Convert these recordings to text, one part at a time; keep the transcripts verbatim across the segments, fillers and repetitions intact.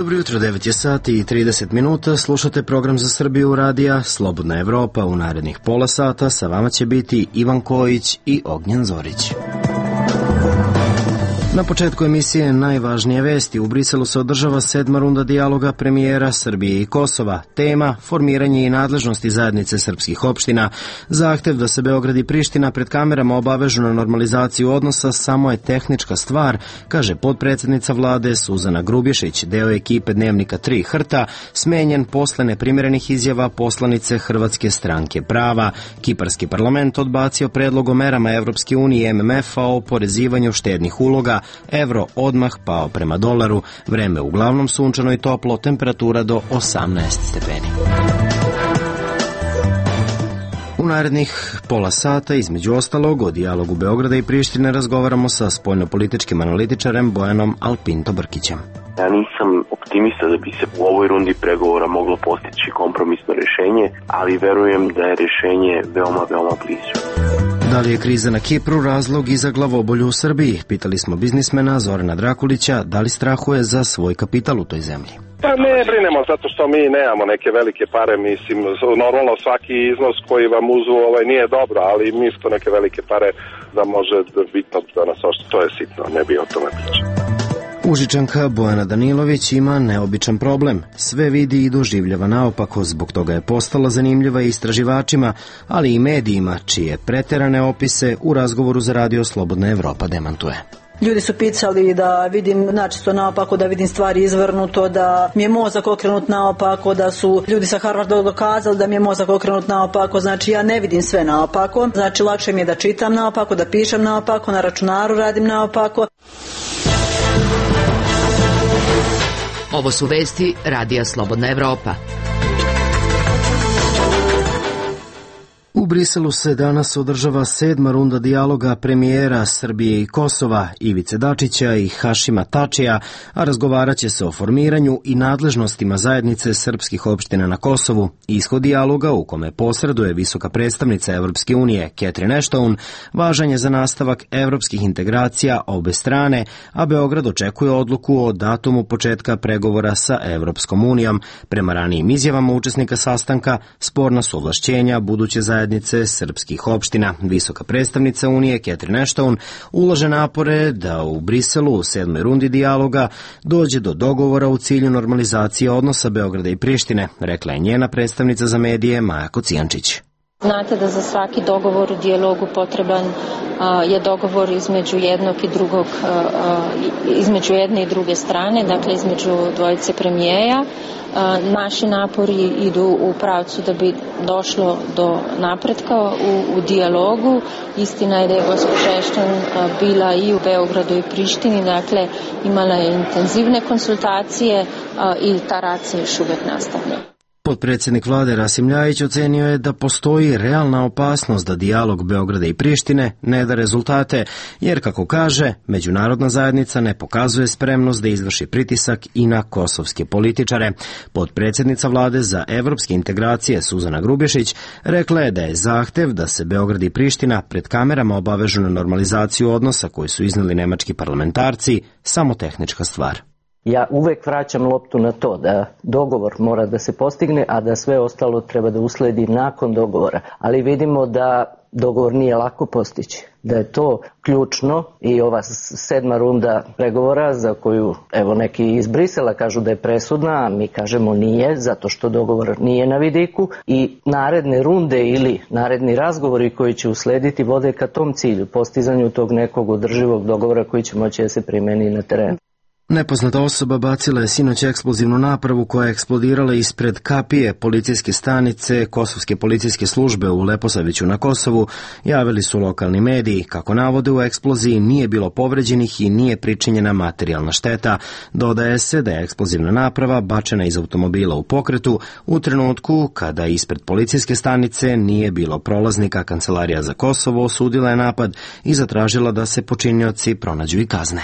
Dobro jutro, devet je sati i trideset minuta, slušate program za Srbiju radija Slobodna Evropa. U narednih pola sata sa vama će biti Ivan Kojić i Ognjen Zorić. Na početku emisije najvažnije vesti. U Briselu se održava sedma runda dijaloga premijera Srbije i Kosova. Tema – formiranje i nadležnosti zajednice srpskih opština. Zahtev da se Beograd i Priština pred kamerama obavežu na normalizaciju odnosa samo je tehnička stvar, kaže potpredsednica vlade Suzana Grubješić, deo ekipe Dnevnika tri Hrta, smenjen posle neprimjerenih izjava poslanice Hrvatske stranke prava. Kiparski parlament odbacio predlog o merama Evropske unije i M M F-a o porezivanju štednih uloga. Evro odmah pao prema dolaru, vreme uglavnom sunčano i toplo, temperatura do osamnaest stepeni. U narednih pola sata, između ostalog, o dijalogu Beograda i Prištine razgovaramo sa spoljnopolitičkim analitičarem Bojanom Alpinto-Brkićem. Ja nisam optimista da bi se u ovoj rundi pregovora moglo postići kompromisno rešenje, ali verujem da je rešenje veoma, veoma blizu. Da li je kriza na Kipru razlog i za glavobolju u Srbiji? Pitali smo biznismena Zorana Drakulića da li strahuje za svoj kapital u toj zemlji. Pa ne brinemo zato što mi nemamo neke velike pare, mislim, normalno svaki iznos koji vam uzu ovaj nije dobro, ali mi smo neke velike pare da može bitno da nas ošto, to je sitno, ne bi o tome pričao. Užičanka Bojana Danilović ima neobičan problem. Sve vidi i doživljava naopako, zbog toga je postala zanimljiva i istraživačima, ali i medijima, čije preterane opise u razgovoru za radio Slobodna Evropa demantuje. Ljudi su pisali da vidim načisto naopako, da vidim stvari izvrnuto, da mi je mozak okrenut naopako, da su ljudi sa Harvarda dokazali da mi je mozak okrenut naopako, znači ja ne vidim sve naopako, znači lakše mi je da čitam naopako, da pišem naopako, na računaru radim naopako. Ovo su vesti radija Slobodna Evropa. U Briselu se danas održava sedma runda dijaloga premijera Srbije i Kosova, Ivice Dačića i Hašima Tačija, a razgovarat će se o formiranju i nadležnostima zajednice srpskih opština na Kosovu. Ishod dijaloga, u kome posreduje visoka predstavnica Evropske unije Catherine Ashton, važan je za nastavak evropskih integracija obe strane, a Beograd očekuje odluku o datumu početka pregovora sa Evropskom unijom. Prema ranijim izjavama učesnika sastanka, sporna su ovlašćenja buduće zajednice srpskih opština. Visoka predstavnica Unije Catherine Ashton ulaže napore da u Briselu u sedmoj rundi dijaloga dođe do dogovora u cilju normalizacije odnosa Beograda i Prištine, rekla je njena predstavnica za medije Maja Kocijančić. Znate da za svaki dogovor u dijalogu potreban a, je dogovor između jednog i drugog, a, a, između jedne i druge strane, dakle između dvojice premijeja. A, naši napori idu u pravcu da bi došlo do napretka u, u dijalogu. Istina je da je gospođa Ashton bila i u Beogradu i Prištini, dakle imala je intenzivne konsultacije a, i ta rad se još uvek nastavlja. Potpredsjednik vlade Rasim Ljajić ocenio je da postoji realna opasnost da dijalog Beograda i Prištine ne da rezultate, jer, kako kaže, međunarodna zajednica ne pokazuje spremnost da izvrši pritisak i na kosovske političare. Potpredsjednica vlade za evropske integracije Suzana Grubješić rekla je da je zahtev da se Beograd i Priština pred kamerama obavežu na normalizaciju odnosa koji su izneli nemački parlamentarci samo tehnička stvar. Ja uvek vraćam loptu na to da dogovor mora da se postigne, a da sve ostalo treba da usledi nakon dogovora. Ali vidimo da dogovor nije lako postići, da je to ključno i ova sedma runda pregovora za koju evo neki iz Brisela kažu da je presudna, a mi kažemo nije, zato što dogovor nije na vidiku i naredne runde ili naredni razgovori koji će uslediti vode ka tom cilju, postizanju tog nekog održivog dogovora koji će moći da se primeni na terenu. Nepoznata osoba bacila je sinoć eksplozivnu napravu koja je eksplodirala ispred kapije policijske stanice Kosovske policijske službe u Leposaviću na Kosovu, javili su lokalni mediji. Kako navode, u eksploziji nije bilo povređenih i nije pričinjena materijalna šteta. Dodaje se da je eksplozivna naprava bačena iz automobila u pokretu u trenutku kada ispred policijske stanice nije bilo prolaznika. Kancelarija za Kosovo osudila je napad i zatražila da se počinioci pronađu i kazne.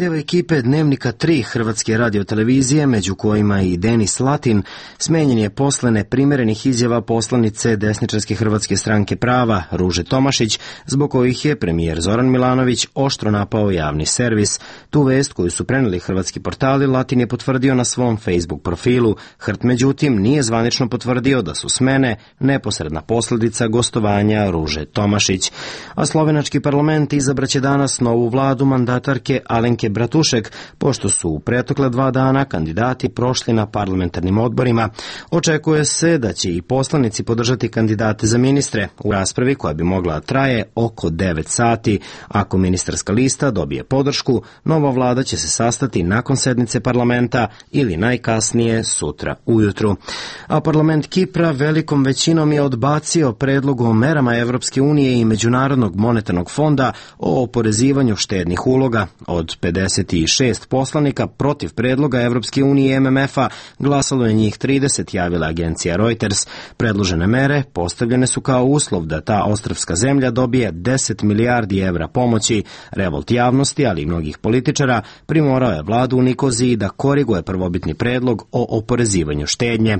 Deo ekipe Dnevnika tri Hrvatske radiotelevizije, među kojima i Denis Latin, smenjen je posle neprimerenih izjava poslanice desničarske Hrvatske stranke prava Ruže Tomašić, zbog kojih je premijer Zoran Milanović oštro napao javni servis. Tu vest koju su preneli hrvatski portali Latin je potvrdio na svom Facebook profilu. Hrt međutim nije zvanično potvrdio da su smene neposredna posljedica gostovanja Ruže Tomašić. A slovenački parlament izabraće danas novu vladu mandatarke Alenke Bratušek, pošto su u pretokle dva dana kandidati prošli na parlamentarnim odborima. Očekuje se da će i poslanici podržati kandidate za ministre u raspravi koja bi mogla traje oko devet sati. Ako ministarska lista dobije podršku, nova vlada će se sastati nakon sednice parlamenta ili najkasnije sutra ujutru. A parlament Kipra velikom većinom je odbacio predlog o merama Evropske unije i Međunarodnog monetarnog fonda o oporezivanju štednih uloga. Od pedeset šest poslanika protiv predloga Evropske unije i M M F-a glasalo je njih trideset, javila agencija Reuters. Predložene mere postavljene su kao uslov da ta ostrvska zemlja dobije deset milijardi evra pomoći. Revolt javnosti, ali i mnogih političara, primorao je vladu u Nikoziji da koriguje prvobitni predlog o oporezivanju štednje.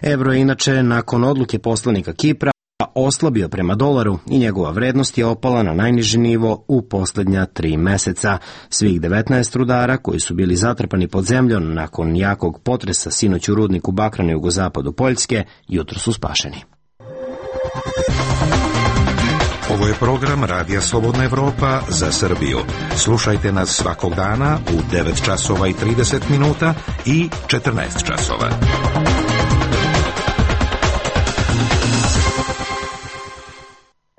Evro je inače nakon odluke poslanika Kipra oslabio prema dolaru i njegova vrednost je opala na najniži nivo u posljednja tri meseca. Svih devetnaest rudara koji su bili zatrpani pod zemljom nakon jakog potresa sinoć u rudniku bakra na jugozapadu Poljske jutro su spašeni. Ovo je program Radija Slobodna Evropa za Srbiju. Slušajte nas svakog dana u devet časova i trideset minuta i četrnaest časova.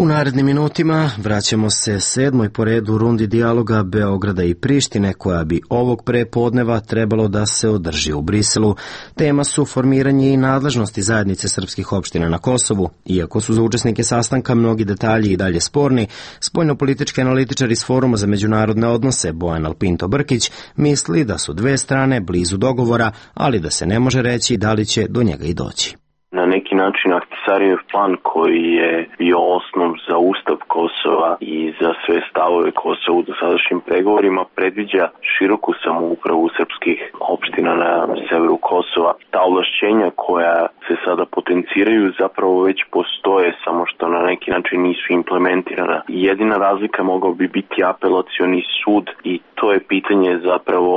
U narednim minutima vraćamo se sedmoj po redu rundi dijaloga Beograda i Prištine, koja bi ovog prepodneva trebalo da se održi u Briselu. Tema su formiranje i nadležnosti zajednice srpskih opština na Kosovu. Iako su za učesnike sastanka mnogi detalji i dalje sporni, spoljnopolitički analitičar iz Foruma za međunarodne odnose Bojan Alpinto Brkić misli da su dve strane blizu dogovora, ali da se ne može reći da li će do njega i doći. Na neki način Ahtisarijev plan koji je bio osnov za ustav Kosova i za sve stavove Kosova u dosadašnjim pregovorima predviđa široku samoupravu srpskih opština na severu Kosova. Ta ovlašćenja koja se sada potenciraju zapravo već postoje, samo što na neki način nisu implementirana. Jedina razlika mogao bi biti apelacioni sud i to je pitanje zapravo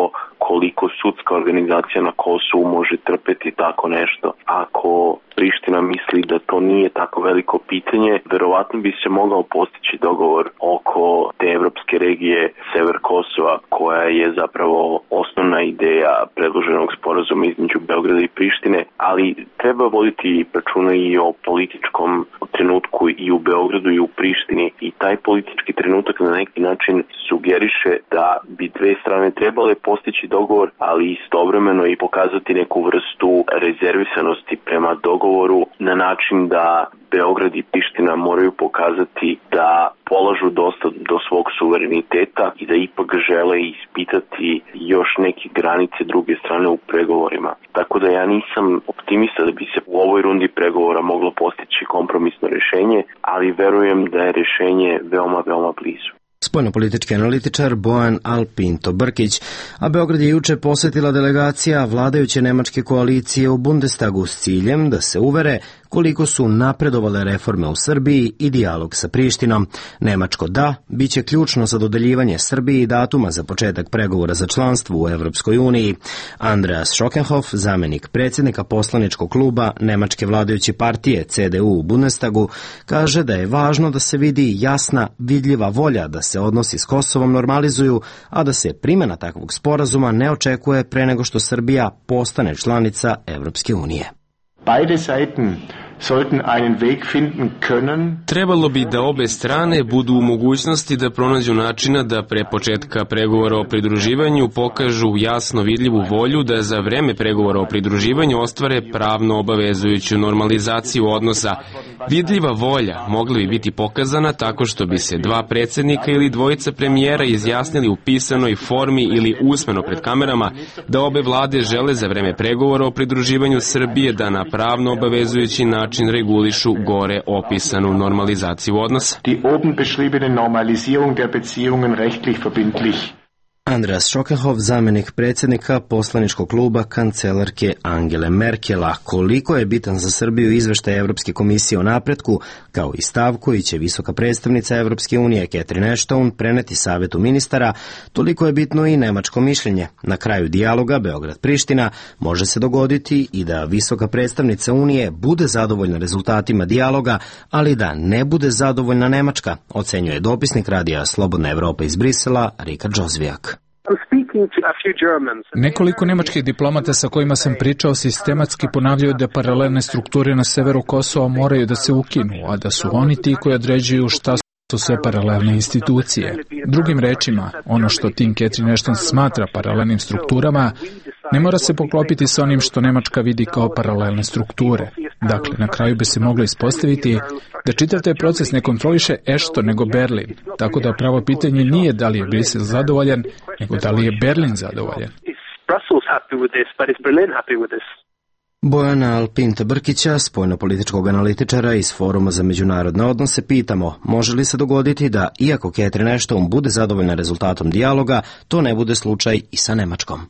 koliko sudska organizacija na Kosovu može trpeti tako nešto. Ako Priština misli da to nije tako veliko pitanje, verovatno bi se mogao postići dogovor oko te evropske regije sever Kosova, koja je zapravo osnovna ideja predloženog sporazuma između Beograda i Prištine, ali treba voditi računa i o političkom trenutku i u Beogradu i u Prištini, i taj politički trenutak na neki način sugeriše da bi dve strane trebale postići dogovor, ali istovremeno i pokazati neku vrstu rezervisanosti prema dogovoru na način da Beograd i Priština moraju pokazati da polažu dosta do svog suvereniteta i da ipak žele ispitati još neke granice druge strane u pregovorima. Tako da ja nisam optimista da bi se u ovoj rundi pregovora moglo postići kompromisno rješenje, ali verujem da je rješenje veoma, veoma blizu. Spoljnopolitički analitičar Bojan Alpinto Brkić, a Beograd je juče posjetila delegacija vladajuće nemačke koalicije u Bundestagu s ciljem da se uvere koliko su napredovale reforme u Srbiji i dijalog sa Prištinom. Nemačko da bit će ključno za dodeljivanje Srbiji datuma za početak pregovora za članstvo u Evropskoj uniji. Andreas Schockenhoff, zamenik predsjednika poslaničkog kluba nemačke vladajuće partije C D U u Bundestagu, kaže da je važno da se vidi jasna, vidljiva volja da se odnosi s Kosovom normalizuju, a da se primjena takvog sporazuma ne očekuje pre nego što Srbija postane članica Evropske unije. Beide Seiten sollten einen Weg finden können. Trebalo bi da obe strane budu u mogućnosti da pronađu načina da pre početka pregovora o pridruživanju pokažu jasno vidljivu volju da za vreme pregovora o pridruživanju ostvare pravno obavezujuću normalizaciju odnosa. Vidljiva volja mogla bi biti pokazana tako što bi se dva predsjednika ili dvojica premijera izjasnili u pisanoj formi ili usmeno pred kamerama da obe vlade žele za vreme pregovora o pridruživanju Srbije da na pravno obavezujući način regulišu gore opisanu normalizaciju odnosa. Die oben beschriebene Normalisierung der Beziehungen rechtlich verbindlich. Andreas Schockenhoff, zamjenik predsjednika poslaničkog kluba kancelarke Angele Merkela. Koliko je bitan za Srbiju izveštaj Evropske komisije o napretku, kao i stav koji će visoka predstavnica Evropske unije Catherine Ashton preneti Savetu ministara, toliko je bitno i nemačko mišljenje. Na kraju dijaloga Beograd-Priština može se dogoditi i da visoka predstavnica Unije bude zadovoljna rezultatima dijaloga, ali da ne bude zadovoljna Nemačka, ocenjuje dopisnik radija Slobodna Evropa iz Brisela Rikard Žozvijak. Nekoliko nemačkih diplomata sa kojima sam pričao sistematski ponavljaju da paralelne strukture na severu Kosova moraju da se ukinu, a da su oni ti koji određuju šta su sve paralelne institucije. Drugim rečima, ono što Tim Catherine Ashton smatra paralelnim strukturama ne mora se poklopiti sa onim što Nemačka vidi kao paralelne strukture. Dakle, na kraju bi se moglo ispostaviti da čitav taj proces ne kontroliše Ashton nego Berlin, tako da pravo pitanje nije da li je Brisel zadovoljan, nego da li je Berlin zadovoljan. Bojana Alpinta-Brkića, spoljnopolitičkog analitičara iz Foruma za međunarodne odnose, pitamo može li se dogoditi da, iako Catherine Ashton bude zadovoljna rezultatom dijaloga, to ne bude slučaj i sa Nemačkom.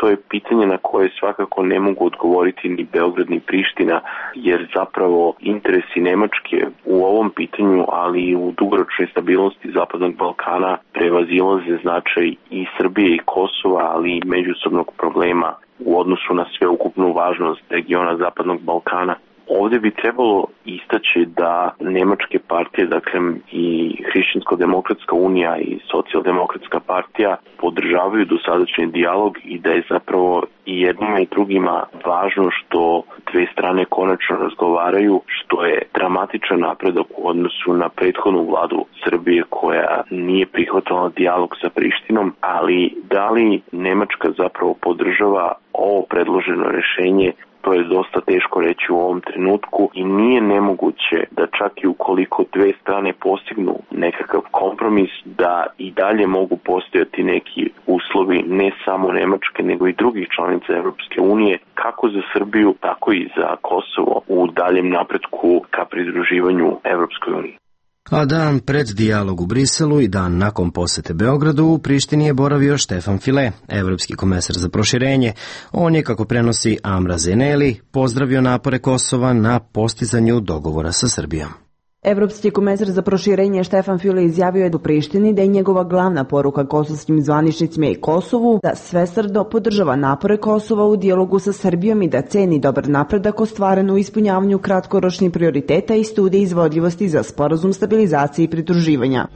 To je pitanje na koje svakako ne mogu odgovoriti ni Beograd ni Priština, jer zapravo interesi Nemačke u ovom pitanju, ali i u dugoročnoj stabilnosti Zapadnog Balkana prevazilaze značaj i Srbije i Kosova, ali i međusobnog problema u odnosu na sveukupnu važnost regiona Zapadnog Balkana. Ovdje bi trebalo istaći da nemačke partije, dakle i Hrišćansko-demokratska unija i Socijaldemokratska partija podržavaju dosadašnji dijalog i da je zapravo i jednima i drugima važno što dve strane konačno razgovaraju, što je dramatičan napredak u odnosu na prethodnu vladu Srbije koja nije prihvatala dijalog sa Prištinom, ali da li Nemačka zapravo podržava ovo predloženo rješenje, to je dosta teško reći u ovom trenutku i nije nemoguće da čak i ukoliko dve strane postignu nekakav kompromis, da i dalje mogu postojati neki uslovi ne samo Nemačke nego i drugih članica Evropske unije, kako za Srbiju, tako i za Kosovo u daljem napretku ka pridruživanju Evropskoj uniji. A dan pred dijalog u Briselu i dan nakon posete Beogradu u Prištini je boravio Štefan File, evropski komesar za proširenje. On je, kako prenosi Amra Zeneli, pozdravio napore Kosova na postizanju dogovora sa Srbijom. Evropski komesar za proširenje Štefan File izjavio je u Prištini da je njegova glavna poruka kosovskim zvaničnicima i Kosovu da svesrdno podržava napore Kosova u dijalogu sa Srbijom i da ceni dobar napredak ostvaren u ispunjavanju kratkoročnih prioriteta i studije izvodljivosti za sporazum stabilizacije i pridruživanja.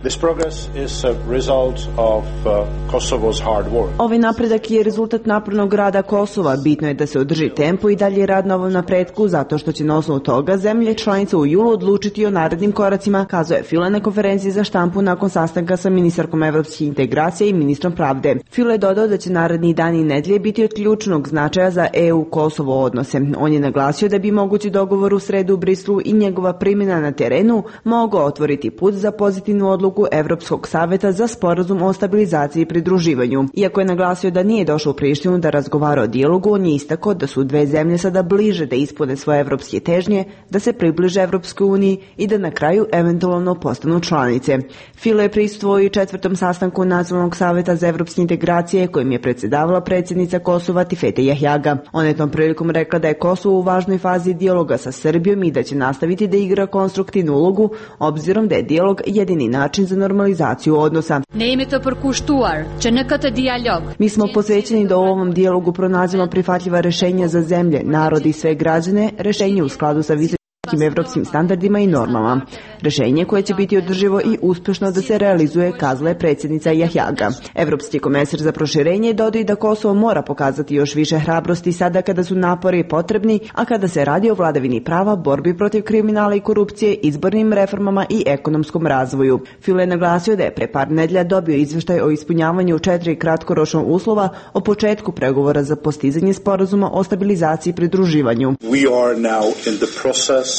Ovaj napredak je rezultat napornog rada Kosova. Bitno je da se održi tempo i dalje rad na ovom napretku, zato što će na osnovu toga zemlje članice u julu odlučiti o narednim koracima, kazuje File na konferenciji za štampu nakon sastanka sa ministarkom evropskih integracija i ministrom pravde. File je dodao da će naredni dani i nedelje biti od ključnog značaja za E U-Kosovo odnose. On je naglasio da bi mogući dogovor u sredu u Brislu i njegova primjena na terenu mogao otvoriti put za pozitivnu odluku Evropskog saveta za sporazum o stabilizaciji i pridruživanju. Iako je naglasio da nije došao u Prištinu da razgovara o dijalogu, on je istakao da su dve zemlje sada bliže da ispune svoje evropske težnje, da se približe Evropskoj uniji i da na kraju eventualno postanu članice. File je prisustvovao i četvrtom sastanku Nacionalnog saveta za evropske integracije kojim je predsjedavala predsjednica Kosova Tifete Jahjaga. Ona je tom prilikom rekla da je Kosovo u važnoj fazi dijaloga sa Srbijom i da će nastaviti da igra konstruktivnu ulogu, obzirom da je dijalog jedini način za normalizaciju odnosa. Mi smo posvećeni da u ovom dijalogu pronađemo prihvatljiva rješenja za zemlje, narod i sve građane, rješenje u skladu sa visokim evropskim standardima i normama. Rješenje koje će biti održivo i uspješno da se realizuje, kazala je predsjednica Jahjaga. Evropski komesar za proširenje dodao da Kosovo mora pokazati još više hrabrosti sada kada su napori potrebni, a kada se radi o vladavini prava, borbi protiv kriminala i korupcije, izbornim reformama i ekonomskom razvoju. File je naglasio da je pre par nedjelja dobio izvještaj o ispunjavanju četiri kratkoročnog uslova o početku pregovora za postizanje sporazuma o stabilizaciji i pridruživanju. We are now in the process.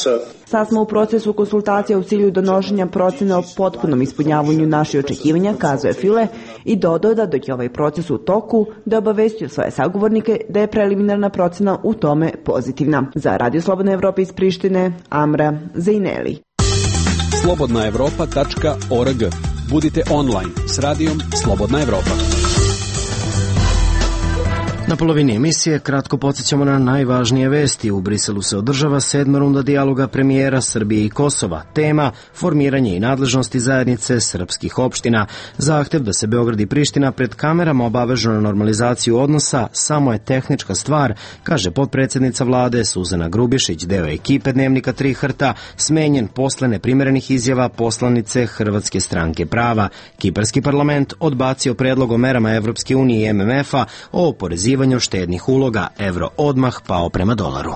Sad smo u procesu konsultacija u cilju donošenja procjene o potpunom ispunjavanju naših očekivanja, kazuje File i dodao da dok je ovaj proces u toku, da je obavestio svoje sagovornike da je preliminarna procjena u tome pozitivna. Za Radio Slobodna Evropa iz Prištine, Amra Zeineli. slobodna evropa tačka org. Budite online s radijom Slobodna Evropa. Na polovini emisije kratko podsjećamo na najvažnije vesti. U Briselu se održava sedma runda dijaloga premijera Srbije i Kosova. Tema formiranje i nadležnosti zajednice srpskih opština. Zahtev da se Beograd i Priština pred kamerama obavežu na normalizaciju odnosa samo je tehnička stvar, kaže potpredsjednica vlade Suzana Grubišić, deo ekipe Dnevnika tri Hrta, smenjen posle neprimerenih izjava poslanice Hrvatske stranke prava. Kiparski parlament odbacio predlog o merama Evropske unije i M M F-a o oporezivanju štednih uloga, evro odmah pao prema dolaru.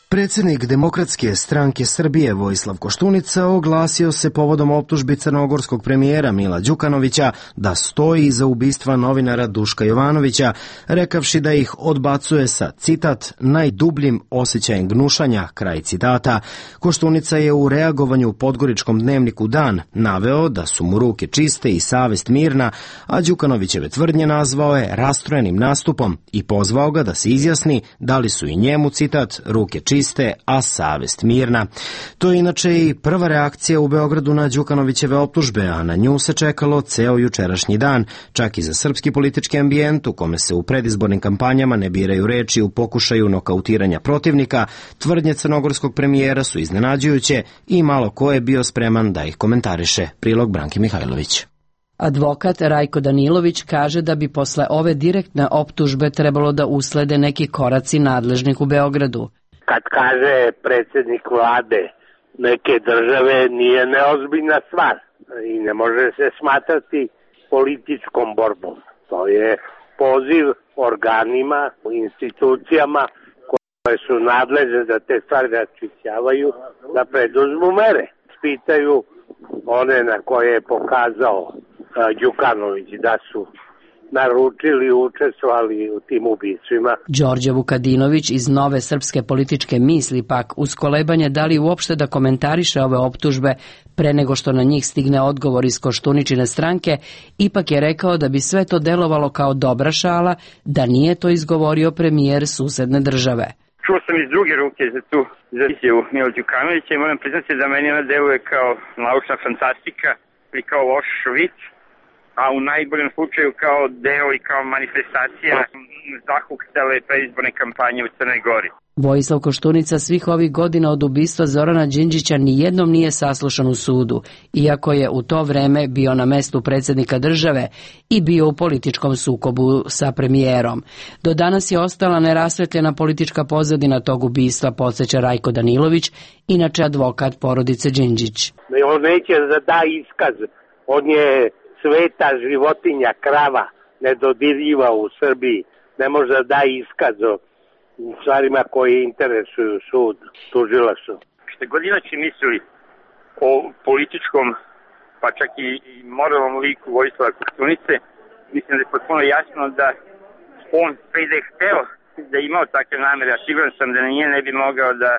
Predsjednik Demokratske stranke Srbije Vojislav Koštunica oglasio se povodom optužbi crnogorskog premijera Mila Đukanovića da stoji iza ubistva novinara Duška Jovanovića, rekavši da ih odbacuje sa, citat, najdubljim osjećajem gnušanja, kraj citata. Koštunica je u reagovanju u podgoričkom dnevniku Dan naveo da su mu ruke čiste i savest mirna, a Đukanovićeve tvrdnje nazvao je rastrojenim nastupom i pozvao ga da se izjasni da li su i njemu, citat, ruke čiste, a savest mirna. To je inače i prva reakcija u Beogradu na Đukanovićeve optužbe, a na nju se čekalo ceo jučerašnji dan, čak i za srpski politički ambijent u kome se u predizbornim kampanjama ne biraju reči u pokušaju nokautiranja protivnika. Tvrdnje crnogorskog premijera su iznenađujuće i malo ko je bio spreman da ih komentariše. Prilog Branki Mihajlović. Advokat Rajko Danilović kaže da bi posle ove direktne optužbe trebalo da uslede neki koraci nadležnih u Beogradu. Kad kaže predsjednik vlade neke države, nije neozbiljna stvar i ne može se smatrati političkom borbom. To je poziv organima, institucijama koje su nadležne da te stvari raščišćavaju, da preduzmu mere. Pitaju one na koje je pokazao Đukanović da su naručili i učestvovali u tim ubistvima. Đorđe Vukadinović iz Nove srpske političke misli pak uz kolebanje da li uopšte da komentariše ove optužbe pre nego što na njih stigne odgovor iz Koštuničine stranke, ipak je rekao da bi sve to delovalo kao dobra šala da nije to izgovorio premijer susedne države. Čuo sam iz druge ruke za tu za izjavu Mila Đukanovića i moram priznati da meni ona deluje kao naučna fantastika ili kao loš vic, a u najboljem slučaju kao deo i kao manifestacija zahuktale predizborne kampanje u Crnoj Gori. Vojislav Koštunica svih ovih godina od ubistva Zorana Đinđića nijednom nije saslušan u sudu, iako je u to vreme bio na mestu predsjednika države i bio u političkom sukobu sa premijerom. Do danas je ostala nerasvetljena politička pozadina tog ubistva, podsjeća Rajko Danilović, inače advokat porodice Đinđić. On neće da da iskaz, on je sveta životinja, krava, nedodirljiva u Srbiji, ne može da da iskaz o stvarima koje interesuju sud, tužilaštvo. Što god inače mislili o političkom, pa čak i moralnom liku Vojislava Koštunice, mislim da je potpuno jasno da on sve da je hteo da je imao takve namere, a siguran sam da nije ne bi mogao da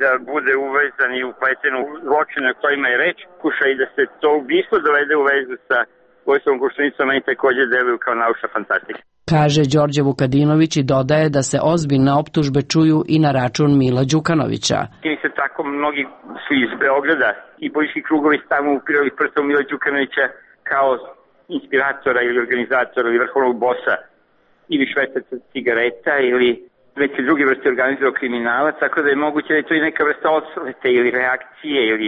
da bude uvezan i upleten u zločine o kojima je reč, kuša i da se to ubistvo dovede u vezu sa Vojislavom Koštunicom, meni također deluju kao naučna fantastika. Kaže Đorđe Vukadinović i dodaje da se ozbiljne optužbe čuju i na račun Mila Đukanovića. I se tako mnogi su iz Beograda i politički krugovi stavno upirali prstom Mila Đukanovića kao inspiratora ili organizatora ili vrhovnog bosa ili švercaca cigareta ili neke druge vrste organizovanog kriminala, tako da je moguće da je to i neka vrsta osvete ili reakcije ili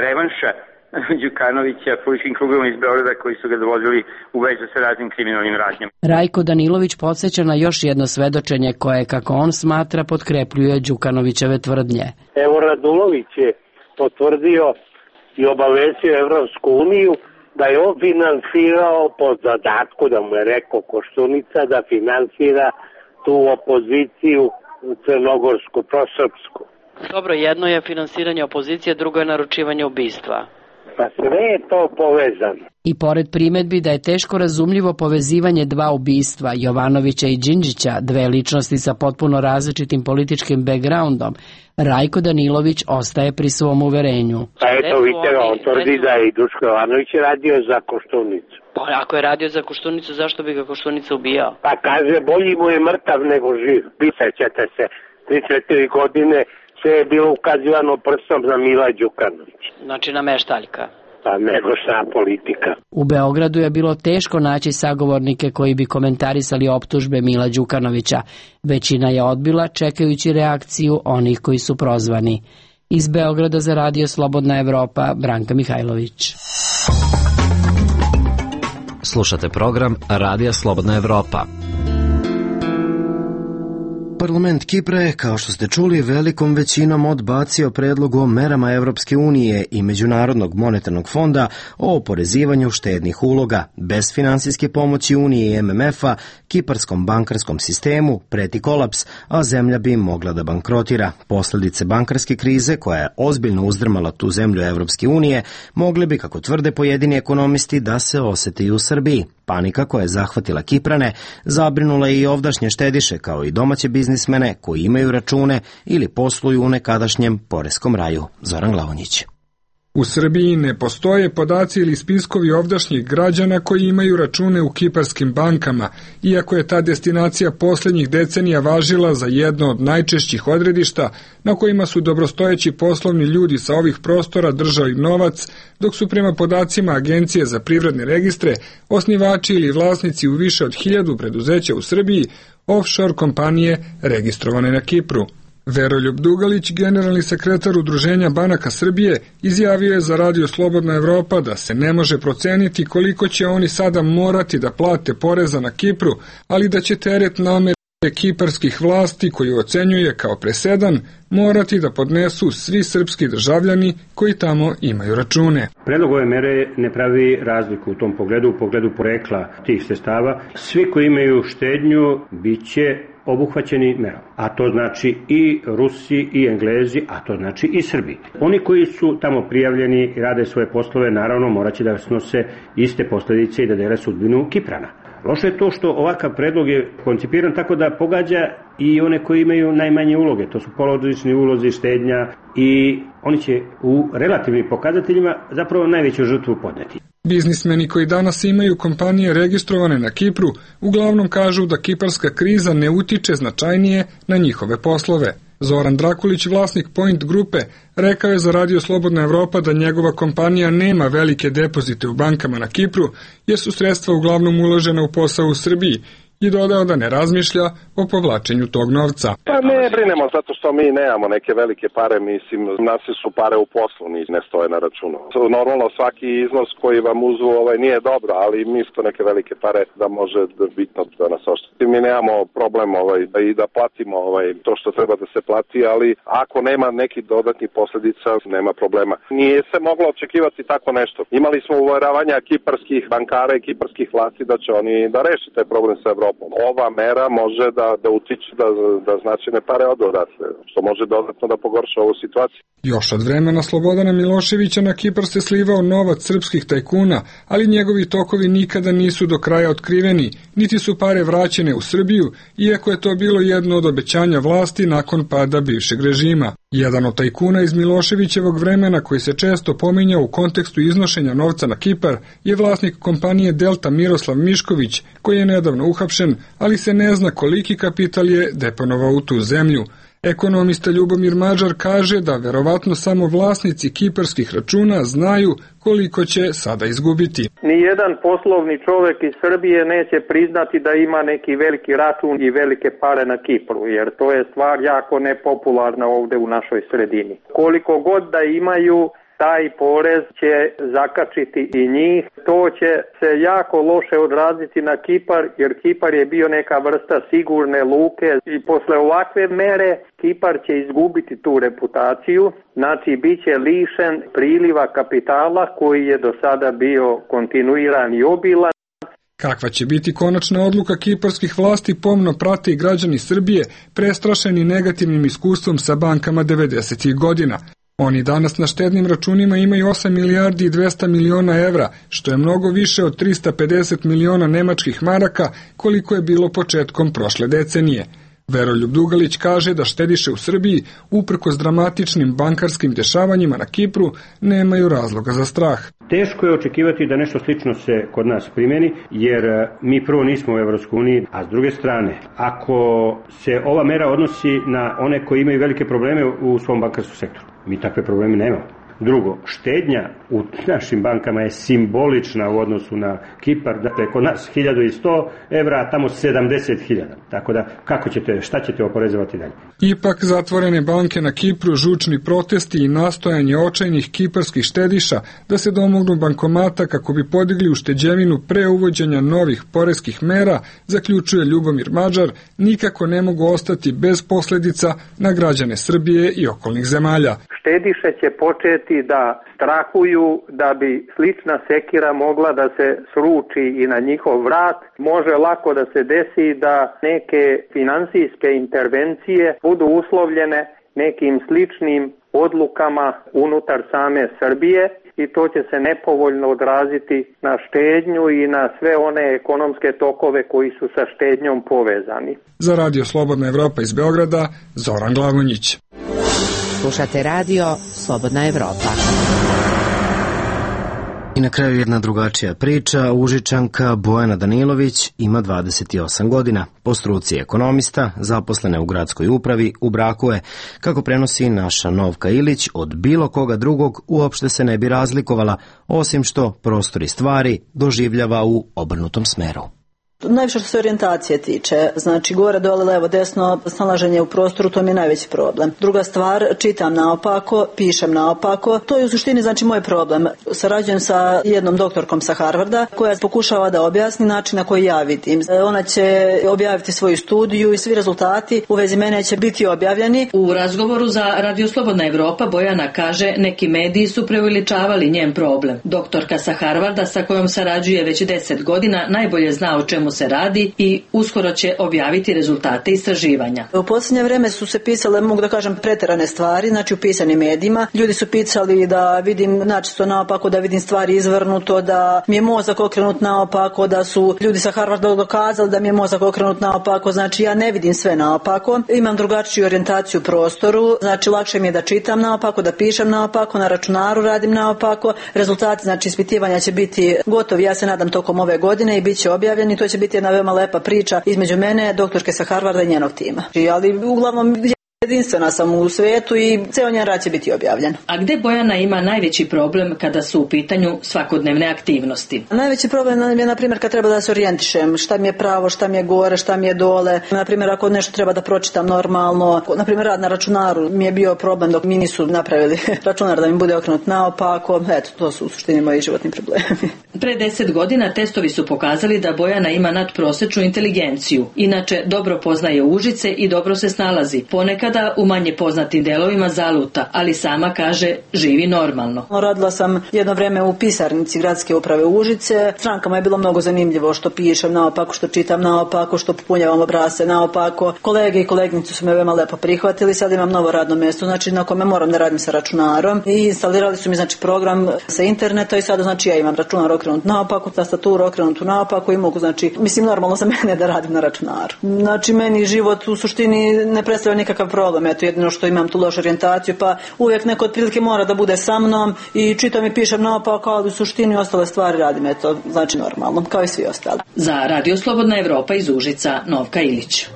revanša Đukanovića političkim krugovima iz Beograda koji su ga dovodili u vezu sa raznim kriminalnim radnjama. Rajko Danilović podsjeća na još jedno svedočenje koje, kako on smatra, potkrepljuje Đukanovićeve tvrdnje. Evo Radulović je potvrdio i obavestio Evropsku uniju da je on finansirao po zadatku, da mu je rekao Koštunica, da finansira tu opoziciju crnogorsku, prosrpsku. Dobro, jedno je finansiranje opozicije, drugo je naručivanje ubistva. Pa sve je to povezano. I pored primedbi da je teško razumljivo povezivanje dva ubistva, Jovanovića i Đinđića, dve ličnosti sa potpuno različitim političkim backgroundom, Rajko Danilović ostaje pri svom uverenju. Pa eto, vidite, on tvrdi da je i Duško Jovanović radio za Koštunicu. Pa ako je radio za Koštunicu, zašto bi ga Koštunica ubijao? Pa kaže, bolji mu je mrtav nego živ. Pisaćete se, tri četiri godine sve je bilo ukazivano prstom za Mila Đukanovića. Znači na meštaljka. pa nego šta politika. U Beogradu je bilo teško naći sagovornike koji bi komentarisali optužbe Mila Đukanovića. Većina je odbila čekajući reakciju onih koji su prozvani. Iz Beograda za Radio Slobodna Evropa, Branka Mihajlović. Slušate program Radija Slobodna Evropa. Parlament Kipra je, kao što ste čuli, velikom većinom odbacio predlog o merama Evropske unije i Međunarodnog monetarnog fonda o oporezivanju štednih uloga. Bez finansijske pomoći Unije i M M F-a, kiparskom bankarskom sistemu preti kolaps, a zemlja bi mogla da bankrotira. Posljedice bankarske krize, koja je ozbiljno uzdrmala tu zemlju Evropske unije, mogle bi, kako tvrde pojedini ekonomisti, da se oseti i u Srbiji. Panika koja je zahvatila Kiprane zabrinula i ovdašnje štediše, kao i domaće biznismene koji imaju račune ili posluju u nekadašnjem poreskom raju. Zoran Glavonjić. U Srbiji ne postoje podaci ili spiskovi ovdašnjih građana koji imaju račune u kiparskim bankama, iako je ta destinacija posljednjih decenija važila za jedno od najčešćih odredišta na kojima su dobrostojeći poslovni ljudi sa ovih prostora držali novac, dok su prema podacima Agencije za privredne registre osnivači ili vlasnici u više od hiljadu preduzeća u Srbiji offshore kompanije registrovane na Kipru. Veroljub Dugalić, generalni sekretar Udruženja banaka Srbije, izjavio je za Radio Slobodna Evropa da se ne može proceniti koliko će oni sada morati da plate poreza na Kipru, ali da će teret namere kiparskih vlasti, koju ocenjuje kao presedan, morati da podnesu svi srpski državljani koji tamo imaju račune. Predlog ove mere ne pravi razliku u tom pogledu, u pogledu porekla tih sredstava. Svi koji imaju štednju bit će obuhvaćeni merom, a to znači i Rusi i Englezi, a to znači i Srbi. Oni koji su tamo prijavljeni i rade svoje poslove, naravno moraće da snose iste posljedice i da dele sudbinu Kiprana. Loše je to što ovakav predlog je koncipiran tako da pogađa i one koji imaju najmanje uloge, to su polurodični ulozi, štednja, i oni će u relativnim pokazateljima zapravo najveću žrtvu podneti. Biznismeni koji danas imaju kompanije registrovane na Kipru uglavnom kažu da kiparska kriza ne utiče značajnije na njihove poslove. Zoran Drakulić, vlasnik Point grupe, rekao je za Radio Slobodna Evropa da njegova kompanija nema velike depozite u bankama na Kipru, jer su sredstva uglavnom uložena u posao u Srbiji, i dodao da ne razmišlja o povlačenju tog novca. Pa ne brinemo zato što mi nemamo neke velike pare, mislim, nas su pare u poslu, ne stoje na računu. Normalno svaki iznos koji vam uzu ovaj, nije dobro, ali mi su neke velike pare da može bitno da nas ošteti. Mi nemamo problem ovaj, i da platimo ovaj, to što treba da se plati, ali ako nema nekih dodatnih posljedica, nema problema. Nije se moglo očekivati tako nešto. Imali smo uveravanja kiparskih bankara i kiparskih vlasti da će oni da reši taj problem sa Evropom. Ova mera može da, da utiče da, da značajne pare odu odatle, što može dodatno da pogorša ovu situaciju. Još od vremena Slobodana Miloševića na Kipar se slivao novac srpskih tajkuna, ali njegovi tokovi nikada nisu do kraja otkriveni, niti su pare vraćene u Srbiju, iako je to bilo jedno od obećanja vlasti nakon pada bivšeg režima. Jedan od tajkuna iz Miloševićevog vremena, koji se često pominja u kontekstu iznošenja novca na Kipar, je vlasnik kompanije Delta Miroslav Mišković, koji je nedavno uhapšen, ali se ne zna koliki kapital je deponovao u tu zemlju. Ekonomista Ljubomir Mađar kaže da verovatno samo vlasnici kiparskih računa znaju koliko će sada izgubiti. Nijedan poslovni čovjek iz Srbije neće priznati da ima neki veliki račun i velike pare na Kipru, jer to je stvar jako nepopularna ovdje u našoj sredini. Koliko god da imaju, taj porez će zakačiti i njih. To će se jako loše odraziti na Kipar, jer Kipar je bio neka vrsta sigurne luke i posle ovakve mere Kipar će izgubiti tu reputaciju, znači bit će lišen priliva kapitala koji je do sada bio kontinuiran i obilan. Kakva će biti konačna odluka kiparskih vlasti pomno prate i građani Srbije, prestrašeni negativnim iskustvom sa bankama devedesetih godina. Oni danas na štednim računima imaju osam milijardi i dvesta miliona evra, što je mnogo više od trista pedeset miliona nemačkih maraka, koliko je bilo početkom prošle decenije. Veroljub Dugalić kaže da štediše u Srbiji, uprkos dramatičnim bankarskim dešavanjima na Kipru, nemaju razloga za strah. Teško je očekivati da nešto slično se kod nas primjeni, jer mi prvo nismo u Evropskoj uniji, a s druge strane, ako se ova mera odnosi na one koji imaju velike probleme u svom bankarskom sektoru, mi takve probleme nemamo. Drugo, štednja u našim bankama je simbolična u odnosu na Kipar, dakle kod nas hiljadu i sto evra, a tamo sedamdeset hiljada. Tako da, kako ćete, šta ćete oporezovati dalje? Ipak zatvorene banke na Kipru, žučni protesti i nastojanje očajnih kiparskih štediša da se domognu bankomata kako bi podigli ušteđevinu pre uvođenja novih poreskih mera, zaključuje Ljubomir Mađar, nikako ne mogu ostati bez posledica na građane Srbije i okolnih zemalja. Štediše će početi da strahuju da bi slična sekira mogla da se sruči i na njihov vrat. Može lako da se desi da neke finansijske intervencije budu uslovljene nekim sličnim odlukama unutar same Srbije i to će se nepovoljno odraziti na štednju i na sve one ekonomske tokove koji su sa štednjom povezani. Za Radio Slobodna Evropa iz Beograda, Zoran Glavonjić. Slušate radio Slobodna Evropa. I na kraju jedna drugačija priča. Užičanka Bojana Danilović ima dvadeset osam godina. Po struci ekonomista, zaposlena u gradskoj upravi, u braku je. Kako prenosi naša Novka Ilić, od bilo koga drugog uopšte se ne bi razlikovala, osim što prostor i stvari doživljava u obrnutom smeru. Najviše što se orijentacije tiče, znači gore, dole, levo, desno, snalaženje u prostoru, to mi je najveći problem. Druga stvar, čitam naopako, pišem naopako, to je u suštini znači moj problem. Sarađujem sa jednom doktorkom sa Harvarda koja pokušava da objasni način na koji ja vidim. Ona će objaviti svoju studiju i svi rezultati u vezi mene će biti objavljeni. U razgovoru za Radio Slobodna Evropa Bojana kaže neki mediji su preuveličavali njen problem. Doktorka sa Harvarda sa kojom sarađuje već deset godina najbolje zna o čemu se radi i uskoro će objaviti rezultate istraživanja. U posljednje vreme su se pisale, mogu da kažem, preterane stvari, znači u pisanim medijima. Ljudi su pisali da vidim načisto naopako, da vidim stvari izvrnuto, da mi je mozak okrenut naopako, da su ljudi sa Harvarda dokazali da mi je mozak okrenut naopako, znači ja ne vidim sve naopako. Imam drugačiju orijentaciju u prostoru, znači lakše mi je da čitam naopako, da pišem naopako, na računaru radim naopako. Rezultati, znači ispitivanja će biti gotovi, ja se nadam tokom ove godine i bit će objavljeni, to će biti jedna veoma lepa priča između mene, doktorke sa Harvarda i njenog tima. Ali uglavnom jedinstvena sam u svetu i ceo njen rad će biti objavljen. A gde Bojana ima najveći problem kada su u pitanju svakodnevne aktivnosti? Najveći problem je, na primjer, kad treba da se orijentišem, šta mi je pravo, šta mi je gore, šta mi je dole. Na primjer, ako nešto treba da pročitam normalno, na primjer, rad na računaru mi je bio problem dok mi nisu napravili računar da mi bude okrenut naopako. Eto, to su u suštini moji životni problemi. Pre deset godina testovi su pokazali da Bojana ima nadprosečnu inteligenciju. Inače, dobro poznaje Užice i dobro se snalazi. Ponekad da u manje poznatim delovima zaluta, ali sama kaže živi normalno. Radila sam jedno vreme u pisarnici gradske uprave Užice. Strankama je bilo mnogo zanimljivo što pišem naopako, što čitam naopako, što popunjavam obrasce naopako. Kolege i kolegnice su me veoma lepo prihvatili. Sad imam novo radno mjesto, znači na kome moram da radim sa računarom i instalirali su mi znači program sa interneta i sada znači ja imam računar okrenut naopako, tastaturu okrenutu naopako i mogu znači, mislim normalno za mene da radim na računaru. Znači meni život u suštini ne predstavlja nikakav problem. Eto, jedino što imam tu lošu orijentaciju, pa uvijek neko otprilike mora da bude sa mnom i čitam i pišem naopako, ali u suštini ostale stvari radim, eto, znači normalno, kao i svi ostali. Za Radio Slobodna Evropa iz Užica, Novka Ilić.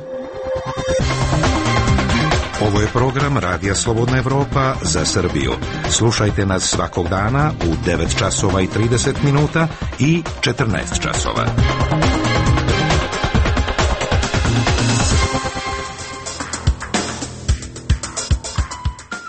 Ovo je program Radija Slobodna Evropa za Srbiju. Slušajte nas svakog dana u devet časova i trideset minuta i četrnaest časova.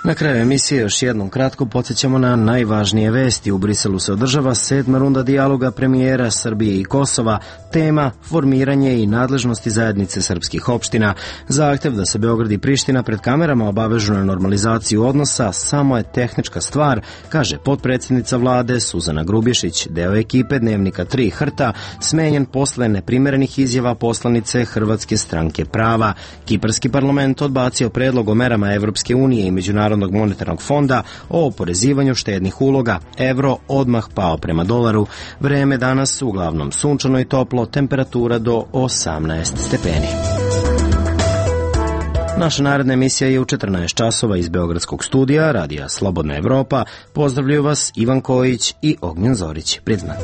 Na kraju emisije još jednom kratko podsjećamo na najvažnije vesti. U Briselu se održava sedma runda dijaloga premijera Srbije i Kosova. Tema formiranje i nadležnosti zajednice srpskih opština. Zahtev da se Beograd i Priština pred kamerama obavežu na normalizaciju odnosa samo je tehnička stvar, kaže potpredsjednica vlade Suzana Grubješić. Deo ekipe Dnevnika tri Hrta smenjen posle neprimerenih izjava poslanice Hrvatske stranke prava. Kiparski parlament odbacio predlog o merama Evropske unije i Međunarodnog monetarnog fonda o oporezivanju štednih uloga. Evro odmah pao prema dolaru. Vreme danas uglavnom sunčano i toplo, temperatura do osamnaest stepeni. Naša naredna emisija je u četrnaest časova iz Beogradskog studija Radija Slobodna Evropa. Pozdravljaju vas Ivan Kojić i Ognjen Zorić. Priznan.